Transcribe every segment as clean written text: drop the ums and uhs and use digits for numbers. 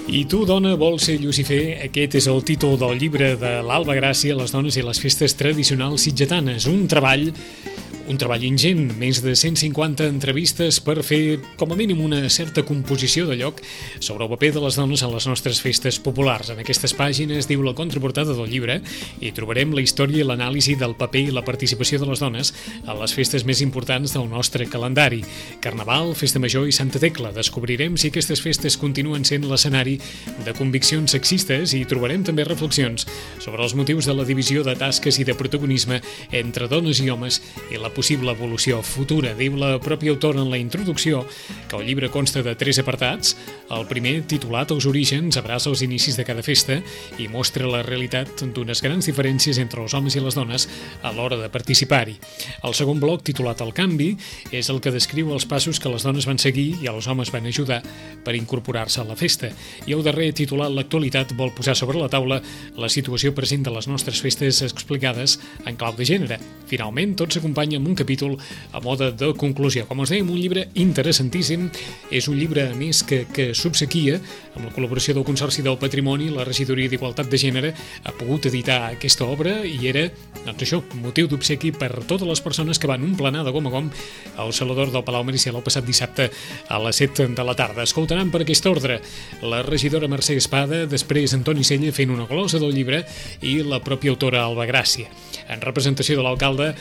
I tu, dona, vols ser Llucifer? Aquest és el títol del llibre de l'Alba Gràcia, Les dones i les festes tradicionals sitgetanes. Un treball ingent, més de 150 entrevistes per fer, com a mínim, una certa composició de lloc sobre el paper de les dones en les nostres festes populars. En aquestes pàgines, diu la contraportada del llibre, i trobarem la història i l'anàlisi del paper i la participació de les dones a les festes més importants del nostre calendari. Carnaval, Festa Major i Santa Tecla. Descobrirem si aquestes festes continuen sent l'escenari de conviccions sexistes i trobarem també reflexions sobre els motius de la divisió de tasques i de protagonisme entre dones i homes i la possible evolució futura. Diu la pròpia autora en la introducció que el llibre consta de 3 apartats. El primer, titulat Els orígens, abraça els inicis de cada festa i mostra la realitat d'unes grans diferències entre els homes i les dones a l'hora de participar-hi. El segon bloc, titulat El canvi, és el que descriu els passos que les dones van seguir i els homes van ajudar per incorporar-se a la festa. I el darrer, titulat L'actualitat, vol posar sobre la taula la situació present de les nostres festes explicades en clau de gènere. Finalment, tot s'acompanya amb un capítol a mode de conclusió. Com us dèiem, un llibre interessantíssim. És un llibre, a més, que subsequia, amb la col·laboració del Consorci del Patrimoni, la Regidoria d'Igualtat de Gènere ha pogut editar aquesta obra i era, doncs això, motiu d'obsequi per totes les persones que van emplenar de gom a gom al Salador del Palau Maricial el passat dissabte a les 7 de la tarda. Escoltaran per aquest ordre la regidora Mercè Espada, després Antoni Sella fent una glosa del llibre i la pròpia autora Alba Gràcia. En representació de l'alcalde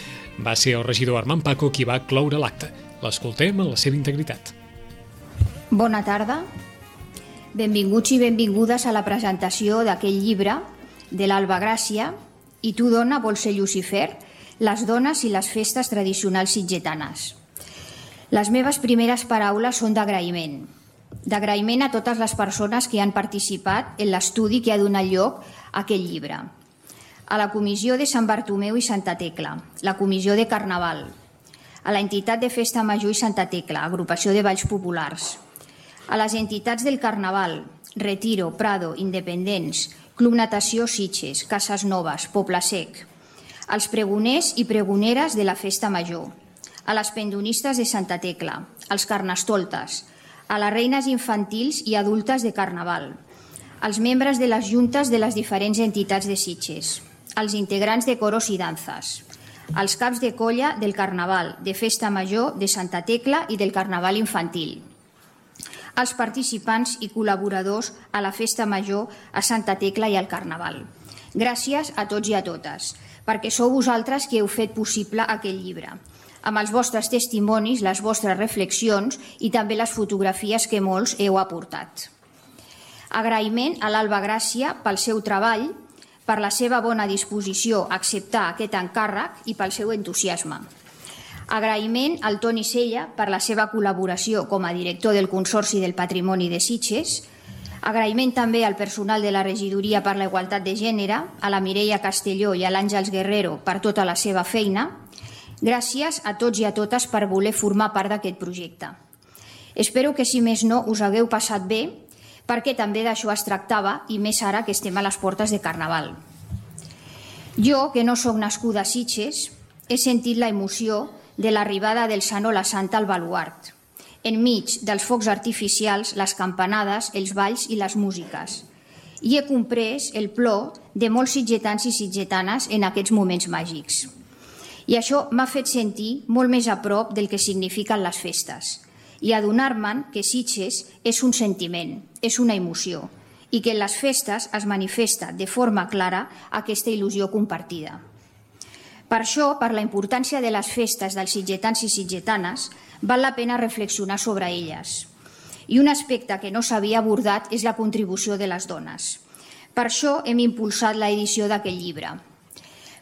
va ser el regidor Armand Paco qui va cloure l'acte. L'escoltem en la seva integritat. Bona tarda. Benvinguts i benvingudes a la presentació d'aquest llibre de l'Alba Gràcia I tu, dona, vols ser Llucifer? Les dones i les festes tradicionals sitgetanes. Les meves primeres paraules són d'agraïment. D'agraïment a totes les persones que han participat en l'estudi que ha donat lloc a aquest llibre. A la Comissió de Sant Bartomeu i Santa Tecla, la Comissió de Carnaval, a l'entitat de Festa Major i Santa Tecla, agrupació de balls populars, a les entitats del Carnaval, Retiro, Prado, Independents, Club Natació Sitges, Cases Noves, Poble Sec, als pregoners i pregoneres de la Festa Major, a les pendonistes de Santa Tecla, als carnestoltes, a les reines infantils i adultes de Carnaval, als membres de les juntes de les diferents entitats de Sitges, als integrants de coros i danzas, als caps de colla del Carnaval, de Festa Major, de Santa Tecla i del Carnaval infantil, als participants i col·laboradors a la Festa Major, a Santa Tecla i al Carnaval. Gràcies a tots i a totes, perquè sou vosaltres qui heu fet possible aquest llibre, amb els vostres testimonis, les vostres reflexions i també les fotografies que molts heu aportat. Agraïment a l'Alba Gràcia pel seu treball, per la seva bona disposició a acceptar aquest encàrrec i pel seu entusiasme. Agraïment al Toni Sella per la seva col·laboració com a director del Consorci del Patrimoni de Sitges. Agraïment també al personal de la Regidoria per la Igualtat de Gènere, a la Mireia Castelló i a l'Àngels Guerrero per tota la seva feina. Gràcies a tots i a totes per voler formar part d'aquest projecte. Espero que, si més no, us hagueu passat bé, perquè també d'això es tractava, i més ara que estem a les portes de Carnaval. Jo, que no sóc nascuda a Sitges, he sentit la emoció de l'arribada del Sant o la Santa al baluart, enmig dels focs artificials, les campanades, els balls i les músiques. I he comprès el plor de molts sitgetans i sitgetanes en aquests moments màgics. I això m'ha fet sentir molt més a prop del que signifiquen les festes i adonar-me'n que Sitges és un sentiment, és una emoció, i que en les festes es manifesta de forma clara aquesta il·lusió compartida. Per això, per la importància de les festes dels sitgetans i sitgetanes, val la pena reflexionar sobre elles. I un aspecte que no s'havia abordat és la contribució de les dones. Per això hem impulsat l'edició d'aquest llibre,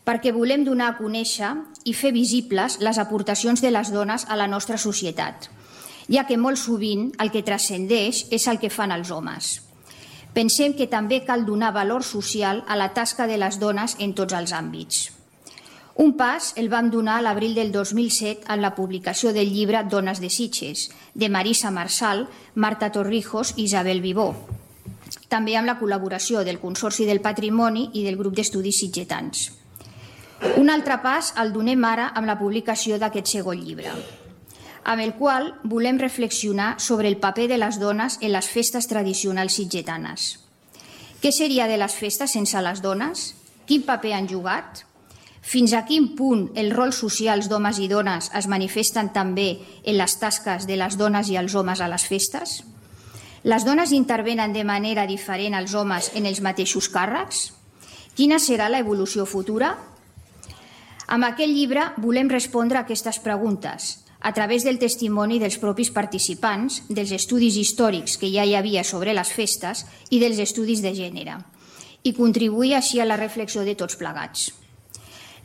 perquè volem donar a conèixer i fer visibles les aportacions de les dones a la nostra societat, ja que molt sovint el que transcendeix és el que fan els homes. Pensem que també cal donar valor social a la tasca de les dones en tots els àmbits. Un pas el vam donar a l'abril del 2007 en la publicació del llibre Dones de Sitges, de Marisa Marsal, Marta Torrijos i Isabel Vivó, també amb la col·laboració del Consorci del Patrimoni i del Grup d'Estudis Sitgetans. Un altre pas el donem ara amb la publicació d'aquest segon llibre. amb el qual volem reflexionar sobre el paper de les dones en les festes tradicionals sitgetanes. Què seria de les festes sense les dones? Quin paper han jugat? Fins a quin punt els rols socials d'homes i dones es manifesten també en les tasques de les dones i els homes a les festes? Les dones intervenen de manera diferent als homes en els mateixos càrrecs? Quina serà l'evolució futura? Amb aquest llibre volem respondre a aquestes preguntes a través del testimoni dels propis participants, dels estudis històrics que ja hi havia sobre les festes i dels estudis de gènere, i contribuir així a la reflexió de tots plegats.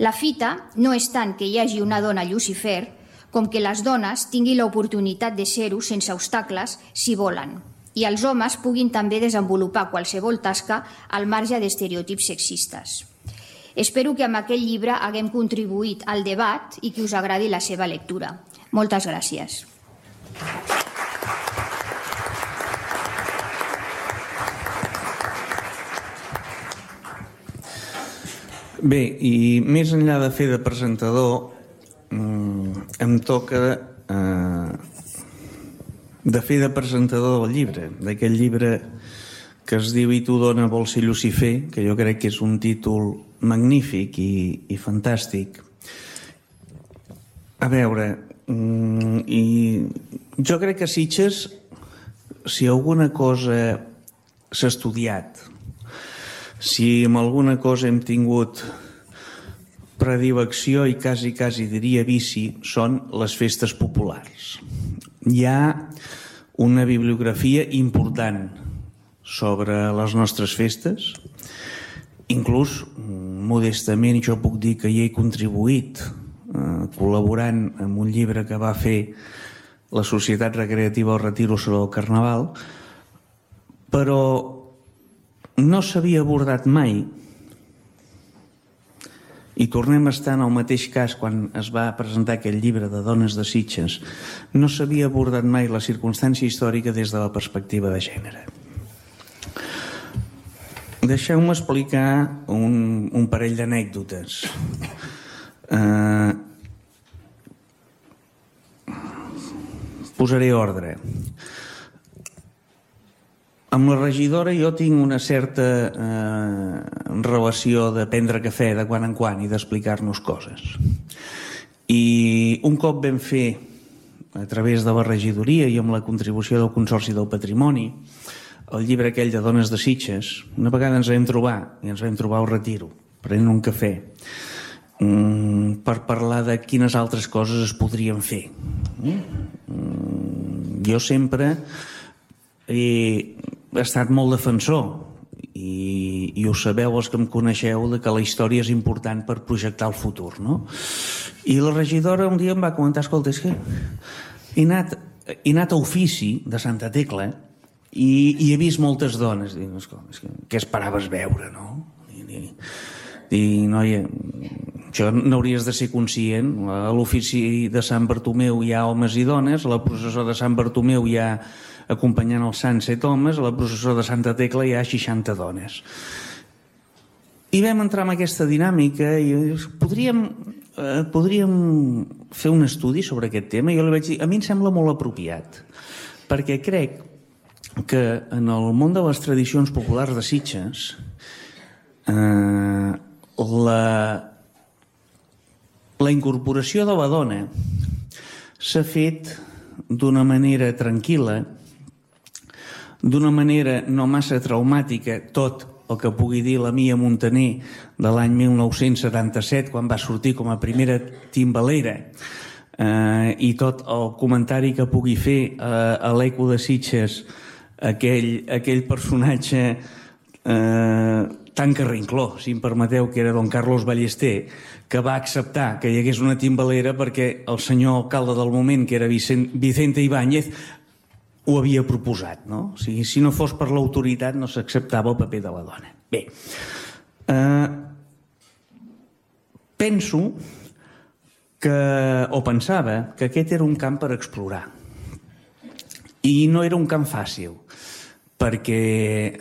La fita no és tant que hi hagi una dona Llucifer com que les dones tinguin l'oportunitat de ser-ho sense obstacles si volen, i els homes puguin també desenvolupar qualsevol tasca al marge d'estereotips sexistes. Espero que amb aquest llibre haguem contribuït al debat i que us agradi la seva lectura. Moltes gràcies. Bé, i més enllà de fer de presentador, em toca de fer de presentador del llibre, d'aquest llibre que es diu I tu, dona, vols ser Llucifer, que jo crec que és un títol magnífic i fantàstic. A veure, i jo crec que a Sitges, si alguna cosa s'ha estudiat, si amb alguna cosa hem tingut predilecció i quasi diria vici, són les festes populars. Hi ha una bibliografia important sobre les nostres festes, inclús modestament jo puc dir que hi he contribuït col·laborant amb un llibre que va fer la Societat Recreativa El Retiro sobre el Carnaval, però no s'havia abordat mai, i tornem a estar en el mateix cas quan es va presentar aquest llibre de Dones de Sitges, no s'havia abordat mai la circumstància històrica des de la perspectiva de gènere. Deixeu-me explicar un parell d'anècdotes. Posaré ordre. Amb la regidora jo tinc una certa relació de prendre cafè de quan en quan i d'explicar-nos coses. I un cop vam fer, a través de la regidoria i amb la contribució del Consorci del Patrimoni, el llibre aquell de Dones de Sitges, una vegada ens vam trobar, i ens vam trobar al Retiro, prenent un cafè, per parlar de quines altres coses es podrien fer. Jo sempre he estat molt defensor i ho sabeu els que em coneixeu que la història és important per projectar el futur, no? I la regidora un dia em va comentar, escolta, és que he anat a ofici de Santa Tecla i he vist moltes dones. Dic, escolta, què esperaves veure, no? Dic, noia, això n'hauries de ser conscient. A l'ofici de Sant Bartomeu hi ha homes i dones, a la processó de Sant Bartomeu hi ha, acompanyant els sants, 7 homes, a la processó de Santa Tecla hi ha 60 dones. I vam entrar en aquesta dinàmica i podríem fer un estudi sobre aquest tema. Jo li vaig dir, a mi em sembla molt apropiat, perquè crec que en el món de les tradicions populars de Sitges la incorporació de la dona s'ha fet d'una manera tranquil·la, d'una manera no massa traumàtica, tot el que pugui dir la Mia Montaner de l'any 1977, quan va sortir com a primera timbalera, i tot el comentari que pugui fer a l'Eco de Sitges aquell personatge tan carrincló, si em permeteu, que era don Carlos Ballester, que va acceptar que hi hagués una timbalera perquè el senyor alcalde del moment, que era Vicente Ibáñez, ho havia proposat, no? O sigui, si no fos per l'autoritat no s'acceptava el paper de la dona. Bé, penso que, o pensava, que aquest era un camp per explorar. I no era un camp fàcil, perquè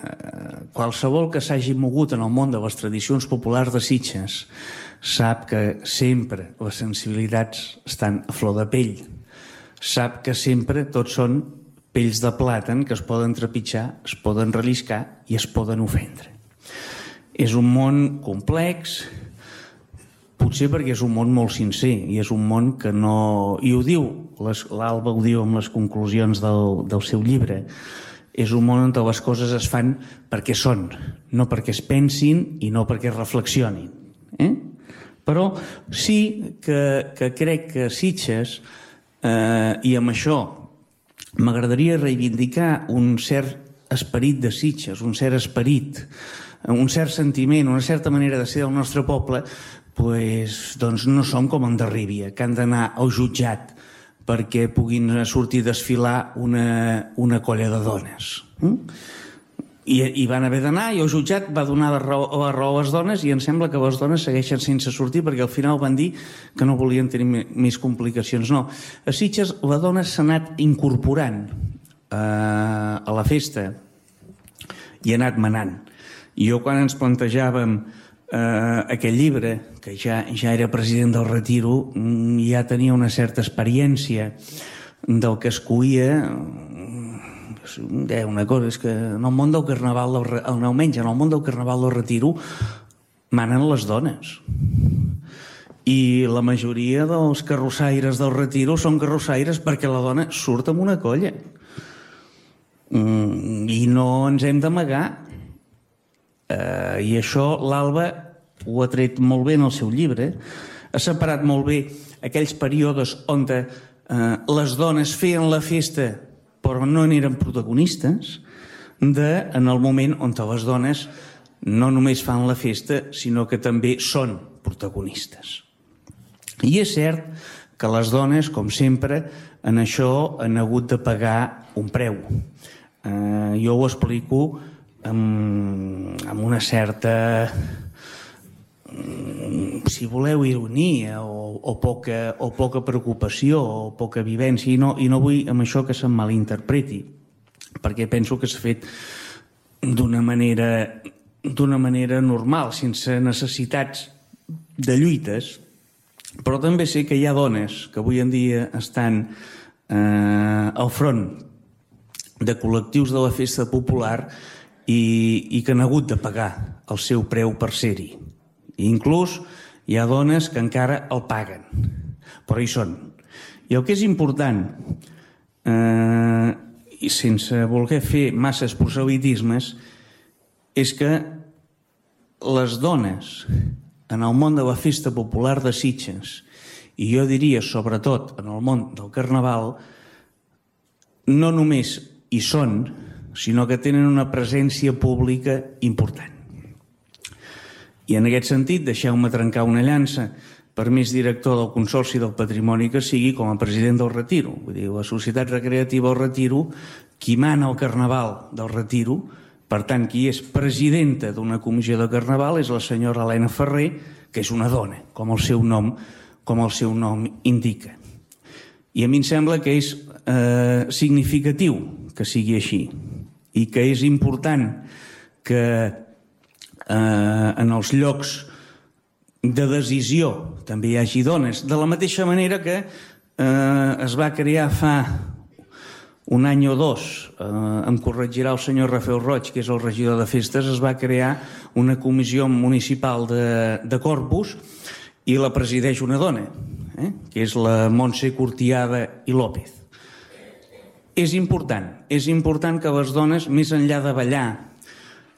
qualsevol que s'hagi mogut en el món de les tradicions populars de Sitges sap que sempre les sensibilitats estan a flor de pell. sap que sempre tots són pells de plàtan que es poden trepitjar, es poden relliscar i es poden ofendre. És un món complex, potser perquè és un món molt sincer i és un món que no... I ho diu, l'Alba ho diu amb les conclusions del seu llibre, és un món on les coses es fan perquè són, no perquè es pensin i no perquè es reflexionin. Però sí que crec que Sitges, i amb això m'agradaria reivindicar un cert esperit de Sitges, un cert esperit, un cert sentiment, una certa manera de ser del nostre poble, doncs no som com en Darribia, que han d'anar al jutjat perquè puguin sortir a desfilar una colla de dones. I van haver d'anar i el jutjat va donar la raó a les dones i em sembla que les dones segueixen sense sortir perquè al final van dir que no volien tenir més complicacions. No, a Sitges la dona s'ha anat incorporant a la festa i ha anat manant. Jo quan ens plantejàvem aquest llibre, que ja era president del Retiro, ja tenia una certa experiència del que es coïa. Una cosa és que en el món del Carnaval, almenys en el món del Carnaval del Retiro, manen les dones. I la majoria dels carrossaires del Retiro són carrossaires perquè la dona surt amb una colla. I no ens hem d'amagar. I això l'Alba ho ha tret molt bé en el seu llibre. Ha separat molt bé aquells períodes on les dones feien la festa però no n'eren protagonistes, en el moment on les dones no només fan la festa, sinó que també són protagonistes. I és cert que les dones, com sempre, en això han hagut de pagar un preu. Jo ho explico amb una certa, si voleu, ironia o poca preocupació o poca vivència, i no vull amb això que se'm malinterpreti, perquè penso que s'ha fet d'una manera normal, sense necessitats de lluites, però també sé que hi ha dones que avui en dia estan al front de col·lectius de la festa popular i que han hagut de pagar el seu preu per ser-hi. Inclús hi ha dones que encara el paguen, però hi són. I el que és important, i sense voler fer masses proselitismes, és que les dones en el món de la festa popular de Sitges, i jo diria sobretot en el món del Carnaval, no només hi són, sinó que tenen una presència pública important. I en aquest sentit, deixeu-me trencar una llança, per més director del Consorci del Patrimoni que sigui, com a president del Retiro. Vull dir, la Societat Recreativa del Retiro, qui mana el Carnaval del Retiro, per tant, qui és presidenta d'una comissió de Carnaval és la senyora Helena Ferrer, que és una dona, com el seu nom indica. I a mi em sembla que és significatiu que sigui així i que és important que en els llocs de decisió també hi hagi dones, de la mateixa manera que es va crear fa un any o dos, em corregirà el senyor Rafael Roig, que és el regidor de festes, es va crear una comissió municipal de Corpus i la presideix una dona, que és la Montse Cortiada i López. És important que les dones, més enllà de ballar,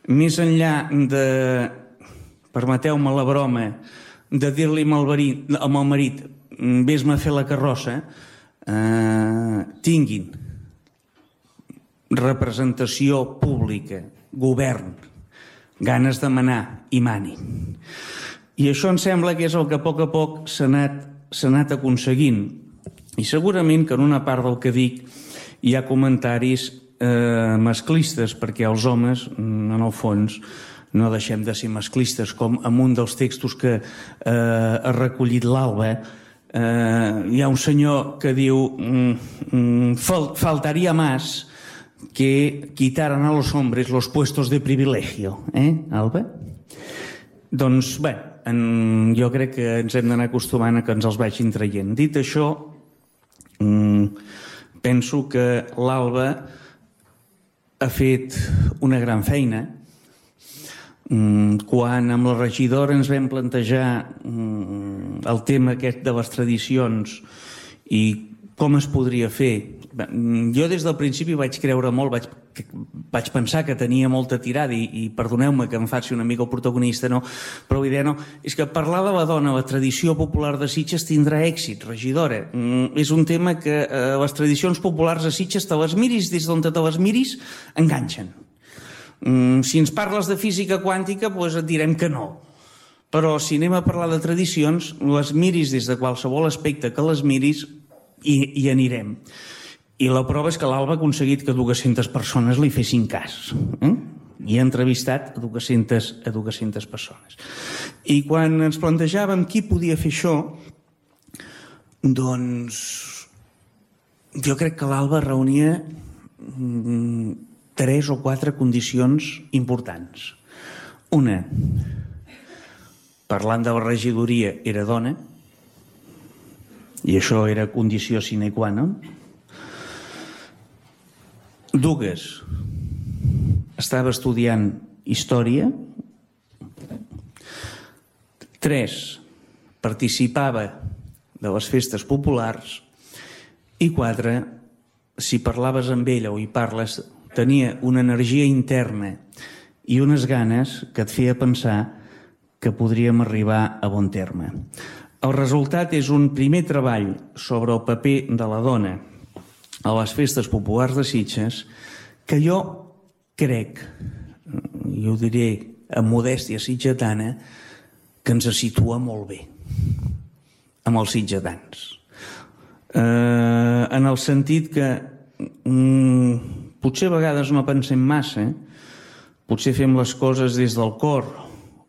més enllà de, permeteu-me la broma, de dir-li amb el marit vés-me a fer la carrossa, tinguin representació pública, govern, ganes de manar i manin. I això em sembla que és el que a poc s'ha anat aconseguint. I segurament que en una part del que dic hi ha comentaris masclistes, perquè els homes, en el fons, no deixem de ser masclistes, com en un dels textos que ha recollit l'Alba, hi ha un senyor que diu faltaría más que quitaran a los hombres los puestos de privilegio, Alba? Doncs, bé, jo crec que ens hem d'anar acostumant a que ens els vagin traient. Dit això, Penso que l'Alba ha fet una gran feina. Quan amb la regidora ens vam plantejar el tema aquest de les tradicions i com es podria fer, jo des del principi vaig creure molt, vaig pensar que tenia molta tirada i perdoneu-me que em faci una mica el protagonista, no? Però la idea no, és que parlar de la dona, la tradició popular de Sitges tindrà èxit, regidora. És un tema que les tradicions populars de Sitges, te les miris des d'on te les miris, enganxen. Si ens parles de física quàntica, doncs et direm que no. Però si anem a parlar de tradicions, les miris des de qualsevol aspecte que les miris i anirem. I la prova és que l'Alba ha aconseguit que 200 persones li fessin cas. I ha entrevistat a 200 persones. I quan ens plantejàvem qui podia fer això, doncs jo crec que l'Alba reunia 3 o 4 condicions importants. Una, parlant de la regidoria, era dona, i això era condició sine qua non. 2, estava estudiant història. 3, participava de les festes populars. I 4, si parlaves amb ella o hi parles, tenia una energia interna i unes ganes que et feia pensar que podríem arribar a bon terme. El resultat és un primer treball sobre el paper de la dona a les festes populars de Sitges que jo crec, i ho diré amb modèstia sitgetana, que ens situa molt bé amb els sitgetans. En el sentit que potser a vegades no pensem massa, potser fem les coses des del cor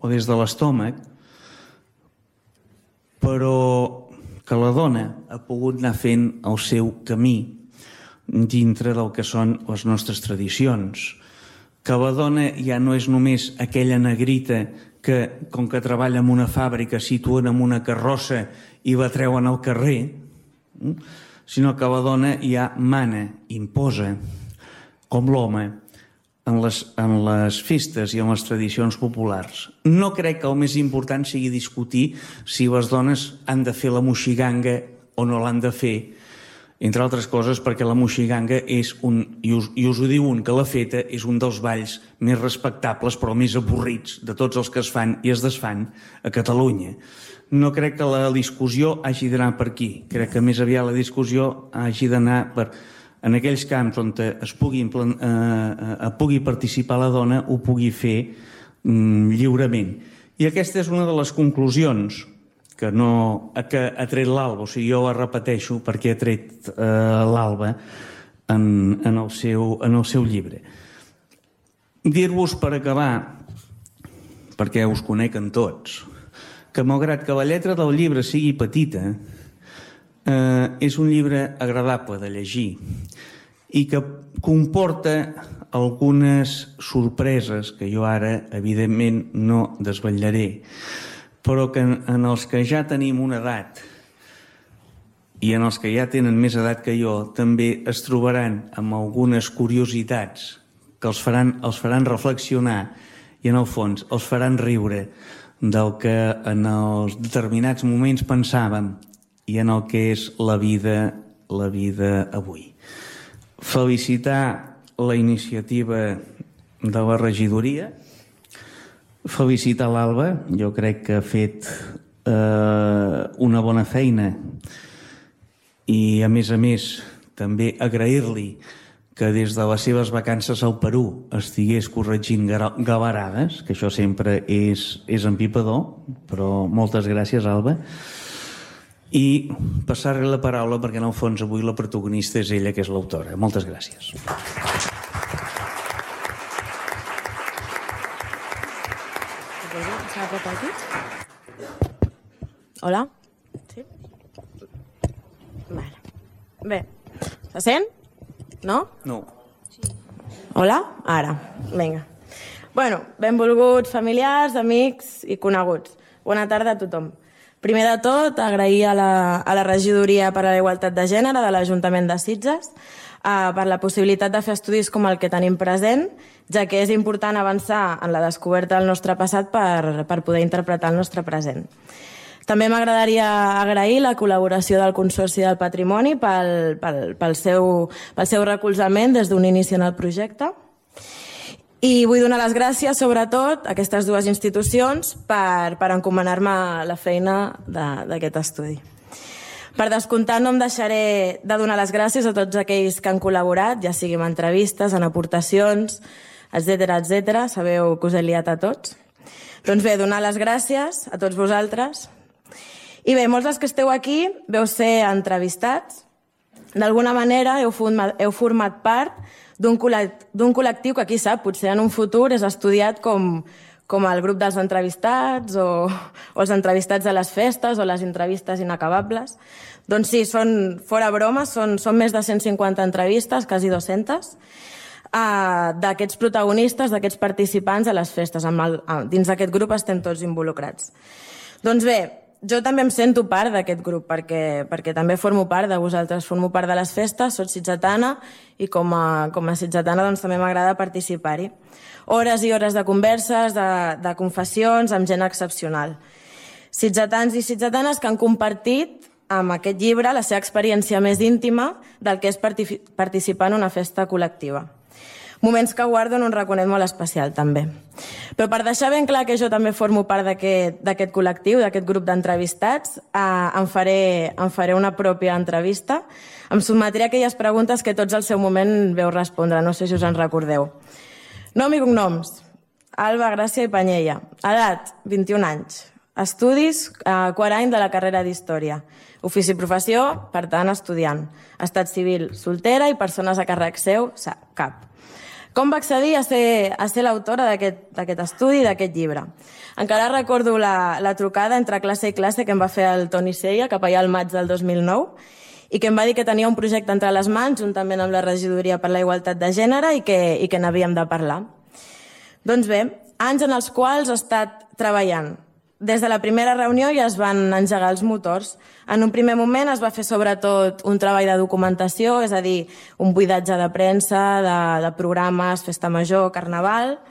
o des de l'estómac, però que la dona ha pogut anar fent el seu camí dintre del que són les nostres tradicions. Que la dona ja no és només aquella negrita que, com que treballa en una fàbrica, situen en una carrossa i la treuen al carrer, sinó que la dona ja mana, imposa, com l'home, en les festes i en les tradicions populars. No crec que el més important sigui discutir si les dones han de fer la moixiganga o no l'han de fer, entre altres coses perquè la moixiganga és i us ho diu que l'ha feta, és un dels balls més respectables però més avorrits de tots els que es fan i es desfan a Catalunya. No crec que la discussió hagi d'anar per aquí. Crec que més aviat la discussió hagi d'anar en aquells camps on pugui participar la dona, ho pugui fer lliurement. I aquesta és una de les conclusions que ha tret l'Alba, o sigui, jo la repeteixo perquè ha tret l'Alba en el seu llibre. Dir-vos per acabar, perquè us coneguen tots, que malgrat que la lletra del llibre sigui petita, és un llibre agradable de llegir i que comporta algunes sorpreses que jo ara, evidentment, no desvetllaré, però que en els que ja tenim una edat i en els que ja tenen més edat que jo també es trobaran amb algunes curiositats que els faran reflexionar i en el fons els faran riure del que en els determinats moments pensàvem i en el que és la vida avui. Felicitar la iniciativa de la regidoria, felicitar l'Alba, jo crec que ha fet una bona feina i a més també agrair-li que des de les seves vacances al Perú estigués corregint gavarades, que això sempre és empipador, però moltes gràcies, Alba. I passar-li la paraula perquè en el fons avui la protagonista és ella, que és l'autora. Moltes gràcies. Hola? Sí? Vale. Bé, se sent? No? No. Hola? Ara. Vinga. Bueno, benvolguts familiars, amics i coneguts. Bona tarda a tothom. Primer de tot, agrair a la Regidoria per a la Igualtat de Gènere de l'Ajuntament de Sitges per la possibilitat de fer estudis com el que tenim present, ja que és important avançar en la descoberta del nostre passat per poder interpretar el nostre present. També m'agradaria agrair la col·laboració del Consorci del Patrimoni pel seu recolzament des d'un inici en el projecte. I vull donar les gràcies, sobretot, a aquestes dues institucions per encomanar-me la feina d'aquest estudi. Per descomptat, no em deixaré de donar les gràcies a tots aquells que han col·laborat, ja sigui en entrevistes, en aportacions, etc. Sabeu que us he liat a tots. Doncs bé, donar les gràcies a tots vosaltres. I bé, molts dels que esteu aquí veu ser entrevistats. D'alguna manera heu format part d'un col·lectiu que, qui sap, potser en un futur és estudiat com el grup dels entrevistats o els entrevistats a les festes o les entrevistes inacabables. Doncs sí, fora broma, són més de 150 entrevistes, quasi 200, d'aquests protagonistes, d'aquests participants a les festes. Dins d'aquest grup estem tots involucrats. Doncs bé, jo també em sento part d'aquest grup, perquè també formo part de vosaltres, formo part de les festes, soc sitgetana i com a sitgetana doncs, també m'agrada participar-hi. Hores i hores de converses, de confessions, amb gent excepcional. Sitgetans i sitgetanes que han compartit amb aquest llibre la seva experiència més íntima del que és participar en una festa col·lectiva. Moments que guardo en un raconet molt especial, també. Però per deixar ben clar que jo també formo part d'aquest col·lectiu, d'aquest grup d'entrevistats, em faré una pròpia entrevista. Em sotmetré a aquelles preguntes que tots al seu moment veu respondre, no sé si us en recordeu. Nom i cognoms: Alba Gràcia i Panyella. Edat: 21 anys. Estudis: quart any de la carrera d'Història. Ofici i professió: per tant, estudiant. Estat civil: soltera i persones a càrrec seu: cap. Com va accedir a ser l'autora d'aquest estudi, d'aquest llibre? Encara recordo la trucada entre classe i classe que em va fer el Toni Sella, cap allà al maig del 2009, i que em va dir que tenia un projecte entre les mans, juntament amb la Regidoria per la Igualtat de Gènere, i que n'havíem de parlar. Doncs bé, anys en els quals he estat treballant. Des de la primera reunió ja es van engegar els motors. En un primer moment es va fer sobretot un treball de documentació, és a dir, un buidatge de premsa, de programes, festa major, carnaval,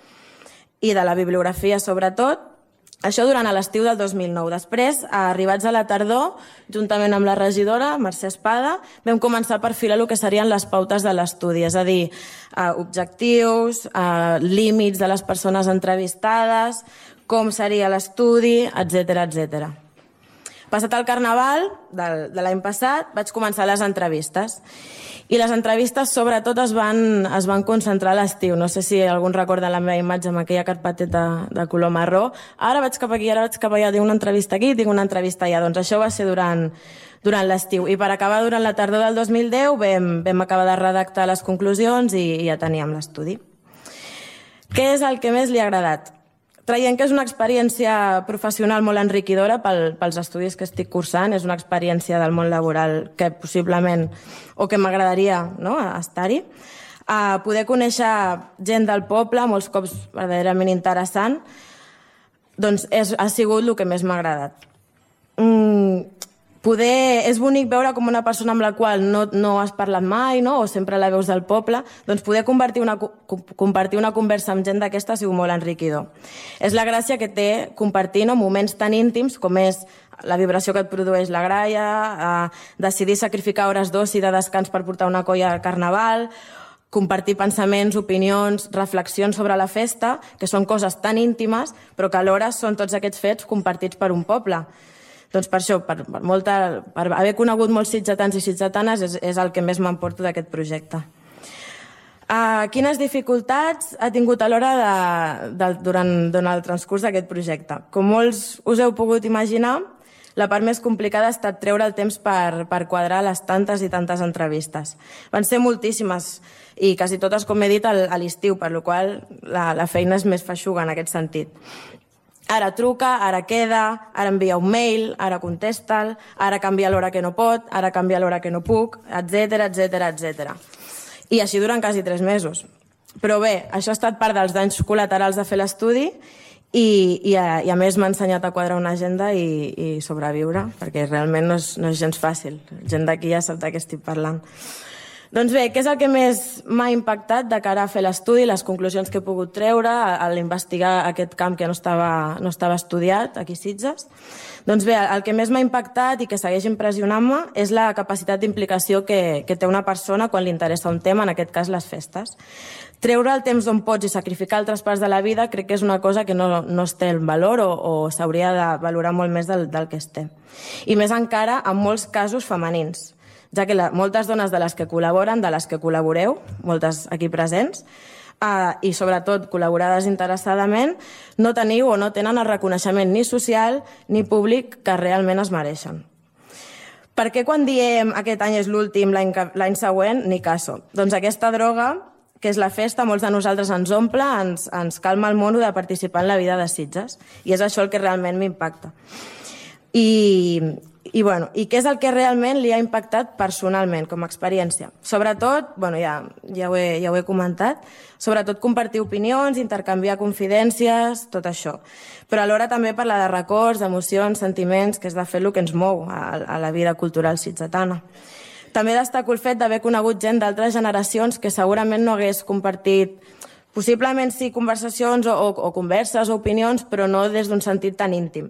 i de la bibliografia sobretot. Això durant l'estiu del 2009. Després, arribats a la tardor, juntament amb la regidora, Mercè Espada, vam començar a perfilar el que serien les pautes de l'estudi, és a dir, objectius, límits de les persones entrevistades, com seria l'estudi, etc. Passat el Carnaval de l'any passat, vaig començar les entrevistes. I les entrevistes, sobretot, es van concentrar a l'estiu. No sé si algú recorda la meva imatge amb aquella carpeteta de color marró. Ara vaig cap aquí, ara vaig cap allà, tinc una entrevista aquí, tinc una entrevista allà. Doncs això va ser durant l'estiu. I per acabar, durant la tardor del 2010, vam acabar de redactar les conclusions i ja teníem l'estudi. Què és el que més li ha agradat? Traient que és una experiència professional molt enriquidora pels estudis que estic cursant, és una experiència del món laboral que possiblement, o que m'agradaria estar-hi. Poder conèixer gent del poble, molts cops verdaderament interessant, doncs ha sigut el que més m'ha agradat. És bonic veure com una persona amb la qual no has parlat mai, o sempre la veus del poble, doncs poder compartir una conversa amb gent d'aquesta ha sigut molt enriquidor. És la gràcia que té compartir moments tan íntims com és la vibració que et produeix la gralla, decidir sacrificar hores d'oci i de descans per portar una colla al Carnaval, compartir pensaments, opinions, reflexions sobre la festa, que són coses tan íntimes, però que alhora són tots aquests fets compartits per un poble. Doncs per això, per haver conegut molts sitgetans i sitgetanes, és el que més m'emporto d'aquest projecte. Quines dificultats ha tingut a l'hora durant el transcurs d'aquest projecte? Com molts us heu pogut imaginar, la part més complicada ha estat treure el temps per quadrar les tantes i tantes entrevistes. Van ser moltíssimes i quasi totes, com he dit, a l'estiu, per la qual la feina és més feixuga en aquest sentit. Ara truca, ara queda, ara envia un mail, ara contesta'l, ara canvia l'hora que no pot, ara canvia l'hora que no puc, etc. I així durant quasi 3 mesos. Però bé, això ha estat part dels danys col·laterals de fer l'estudi i a més m'ha ensenyat a quadrar una agenda i sobreviure, perquè realment no és gens fàcil. Gent d'aquí ja sap de què estic parlant. Doncs bé, què és el que més m'ha impactat de cara a fer l'estudi, les conclusions que he pogut treure a l'investigar aquest camp que no estava estudiat aquí a Sitges? Doncs bé, el que més m'ha impactat i que segueix impressionant-me és la capacitat d'implicació que té una persona quan li interessa un tema, en aquest cas les festes. Treure el temps d'on pots i sacrificar altres parts de la vida crec que és una cosa que no es té el valor o s'hauria de valorar molt més del que es té. I més encara en molts casos femenins, ja que moltes dones de les que col·laboren, de les que col·laboreu, moltes aquí presents, i sobretot col·laborades interessadament, no teniu o no tenen el reconeixement ni social ni públic que realment es mereixen. Per què quan diem aquest any és l'últim, l'any següent, ni caso? Doncs aquesta droga, que és la festa, molts de nosaltres ens omple, ens calma el mono de participar en la vida de Sitges, i és això el que realment m'impacta. I què és el que realment li ha impactat personalment, com a experiència? Sobretot, ja ho he comentat, sobretot compartir opinions, intercanviar confidències, tot això. Però alhora també parlar de records, emocions, sentiments, que és de fet el que ens mou a la vida cultural sitgetana. També destaco el fet d'haver conegut gent d'altres generacions que segurament no hagués compartit, possiblement sí, conversacions o converses o opinions, però no des d'un sentit tan íntim.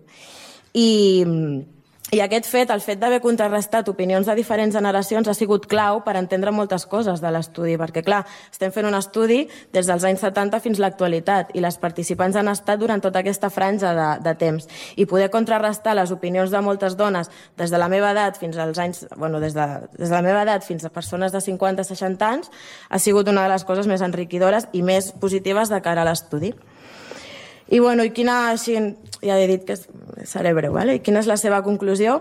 I aquest fet, el fet d'haver contrarrestat opinions de diferents generacions ha sigut clau per entendre moltes coses de l'estudi, perquè clar, estem fent un estudi des dels anys 70 fins a l'actualitat i les participants han estat durant tota aquesta franja de temps i poder contrarrestar les opinions de moltes dones des de la meva edat fins als anys, des de la meva edat fins a persones de 50-60 anys ha sigut una de les coses més enriquidores i més positives de cara a l'estudi. I quina, ja he dit que seré breu, i quina és la seva conclusió?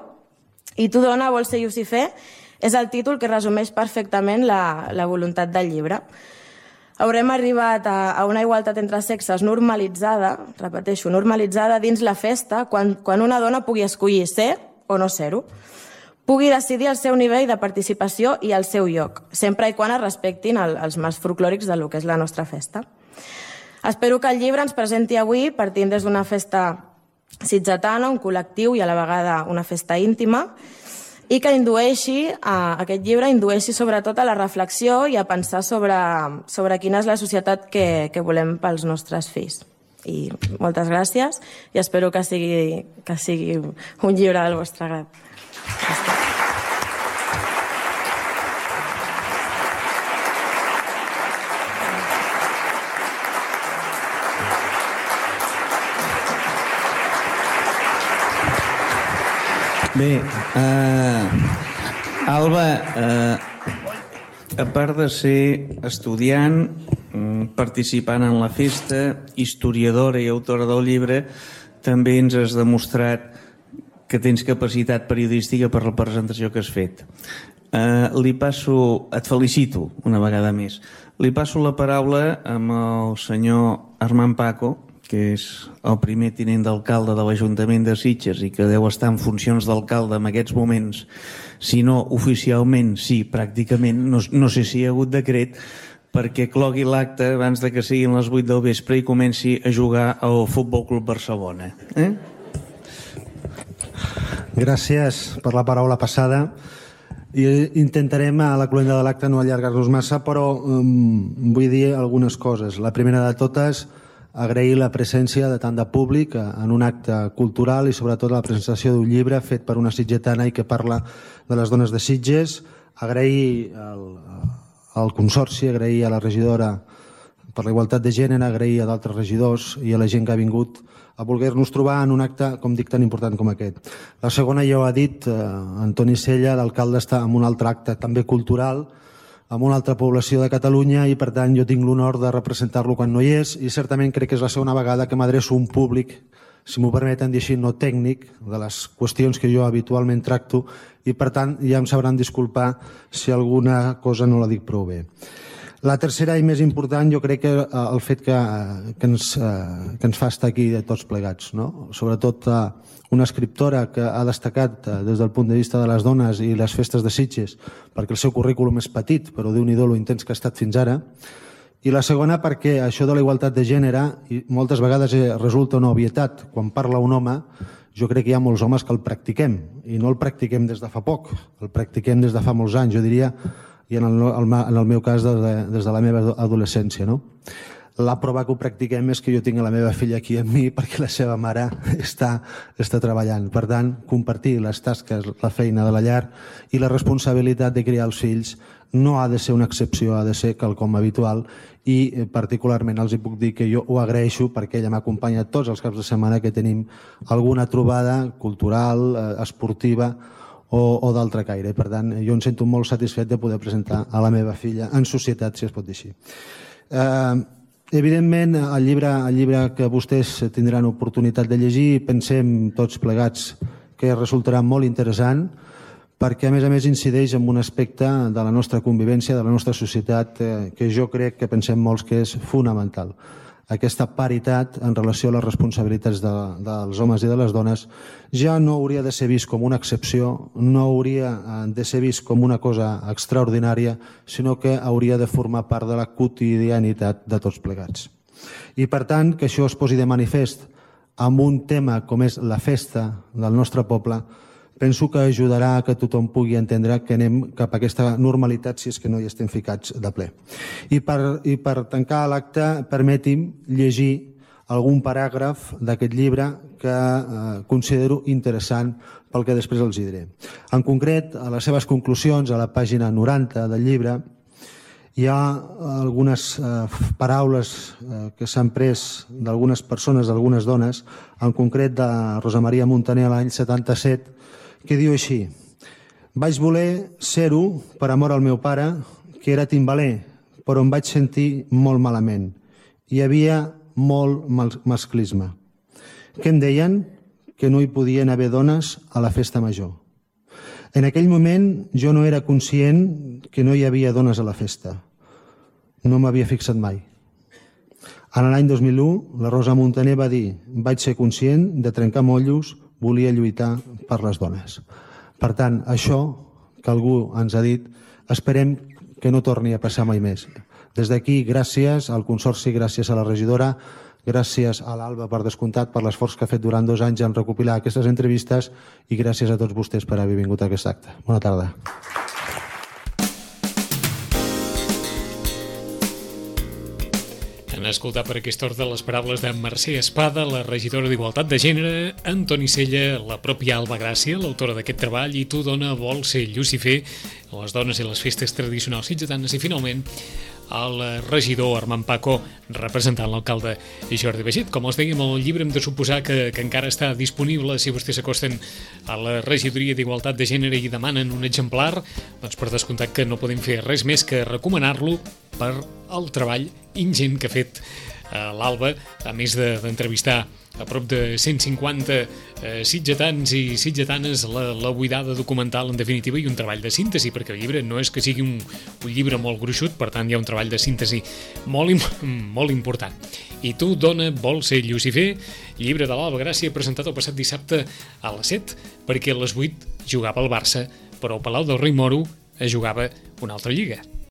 I tu, dona, vols ser Llucifer? És el títol que resumeix perfectament la voluntat del llibre. Haurem arribat a una igualtat entre sexes normalitzada, repeteixo, normalitzada dins la festa, quan una dona pugui escollir ser o no ser-ho, pugui decidir el seu nivell de participació i el seu lloc, sempre i quan es respectin els marcs folclòrics del que és la nostra festa. Espero que el llibre ens presenti avui, partint des d'una festa sitgetana, un col·lectiu i a la vegada una festa íntima, i que aquest llibre indueixi sobretot a la reflexió i a pensar sobre quina és la societat que volem pels nostres fills. I moltes gràcies i espero que sigui un llibre del vostre agrat. Gràcies. Bé, Alba, a part de ser estudiant, participant en la festa, historiadora i autora del llibre, també ens has demostrat que tens capacitat periodística per la presentació que has fet. Et felicito una vegada més. Li passo la paraula amb el senyor Armand Paco, que és el primer tinent d'alcalde de l'Ajuntament de Sitges i que deu estar en funcions d'alcalde en aquests moments, si no oficialment, sí, pràcticament, no sé si hi ha hagut decret, perquè clogui l'acte abans de que siguin les 8 del vespre i comenci a jugar al Futbol Club Barcelona. Gràcies per la paraula passada. Intentarem a la cloenda de l'acte no allargar-nos massa, però vull dir algunes coses. La primera de totes, agrair la presència de tant de públic en un acte cultural i sobretot la presentació d'un llibre fet per una sitgetana i que parla de les dones de Sitges. Agrair al Consorci, agrair a la regidora per la igualtat de gènere, agrair a d'altres regidors i a la gent que ha vingut a voler-nos trobar en un acte, com dic, tan important com aquest. La segona ja ho ha dit Antoni Sella, l'alcalde està en un altre acte també cultural, amb una altra població de Catalunya i per tant jo tinc l'honor de representar-lo quan no hi és i certament crec que és la segona vegada que m'adreço a un públic, si m'ho permeten dir així, no tècnic, de les qüestions que jo habitualment tracto i per tant ja em sabran disculpar si alguna cosa no la dic prou bé. La tercera i més important jo crec que el fet que ens fa estar aquí tots plegats, no? Sobretot una escriptora que ha destacat des del punt de vista de les dones i les festes de Sitges, perquè el seu currículum és petit, però Déu-n'hi-do lo intens que ha estat fins ara, I la segona perquè això de la igualtat de gènere moltes vegades resulta una obvietat. Quan parla un home, jo crec que hi ha molts homes que el practiquem, i no el practiquem des de fa poc, el practiquem des de fa molts anys, jo diria, i en el meu cas des de la meva adolescència, no? La prova que ho practiquem és que jo tinc la meva filla aquí amb mi perquè la seva mare està treballant. Per tant, compartir les tasques, la feina de la llar i la responsabilitat de criar els fills no ha de ser una excepció, ha de ser quelcom habitual, i particularment els puc dir que jo ho agraeixo perquè ella m'acompanya tots els caps de setmana que tenim alguna trobada cultural, esportiva o d'altre caire. Per tant, jo em sento molt satisfet de poder presentar a la meva filla en societat, si es pot dir així. Evidentment, el llibre que vostès tindran oportunitat de llegir, pensem tots plegats que resultarà molt interessant, perquè a més incideix en un aspecte de la nostra convivència, de la nostra societat, que jo crec que pensem molts que és fonamental. Aquesta paritat en relació a les responsabilitats dels homes i de les dones ja no hauria de ser vist com una excepció, no hauria de ser vist com una cosa extraordinària, sinó que hauria de formar part de la quotidianitat de tots plegats. I per tant, que això es posi de manifest amb un tema com és la festa del nostre poble, penso que ajudarà a que tothom pugui entendre que anem cap a aquesta normalitat si és que no hi estem ficats de ple. I per tancar l'acte, permeti'm llegir algun paràgraf d'aquest llibre que considero interessant pel que després els diré. En concret, a les seves conclusions, a la pàgina 90 del llibre, hi ha algunes paraules que s'han pres d'algunes persones, d'algunes dones, en concret de Rosa Maria Montaner l'any 77, que diu així: vaig voler ser-ho per amor al meu pare, que era timbaler, però em vaig sentir molt malament. Hi havia molt masclisme. Què em deien? Que no hi podien haver dones a la festa major. En aquell moment jo no era conscient que no hi havia dones a la festa. No m'havia fixat mai. En l'any 2001, la Rosa Montaner va dir: vaig ser conscient de trencar motllos, volia lluitar per les dones. Per tant, això que algú ens ha dit, esperem que no torni a passar mai més. Des d'aquí, gràcies al Consorci, gràcies a la regidora, gràcies a l'Alba, per descomptat, per l'esforç que ha fet durant 2 anys en recopilar aquestes entrevistes, i gràcies a tots vostès per haver vingut a aquest acte. Bona tarda. Han escoltat per aquesta ordre les paraules de Mercè Espada, la regidora d'Igualtat de Gènere, Antoni Sella, la pròpia Alba Gràcia, l'autora d'aquest treball, i Tu dona vol ser Llucifer, les dones i les festes tradicionals sitgetanes, i finalment el regidor Armand Paco, representant l'alcalde Jordi Baiget. Com els dèiem, el llibre hem de suposar que encara està disponible. Si vostès s'acosten a la regidoria d'Igualtat de Gènere i demanen un exemplar, doncs per descomptat que no podem fer res més que recomanar-lo per el treball ingent que ha fet l'Alba, a més d'entrevistar a prop de 150 sitgetans i sitgetanes, la buidada documental, en definitiva, i un treball de síntesi, perquè el llibre no és que sigui un llibre molt gruixut, per tant hi ha un treball de síntesi molt important. I Tu dona vol ser Llucifer, llibre de l'Alba Gràcia, presentat el passat dissabte a les 7, perquè a les 8 jugava el Barça, però al Palau del Rei Moro es jugava una altra lliga.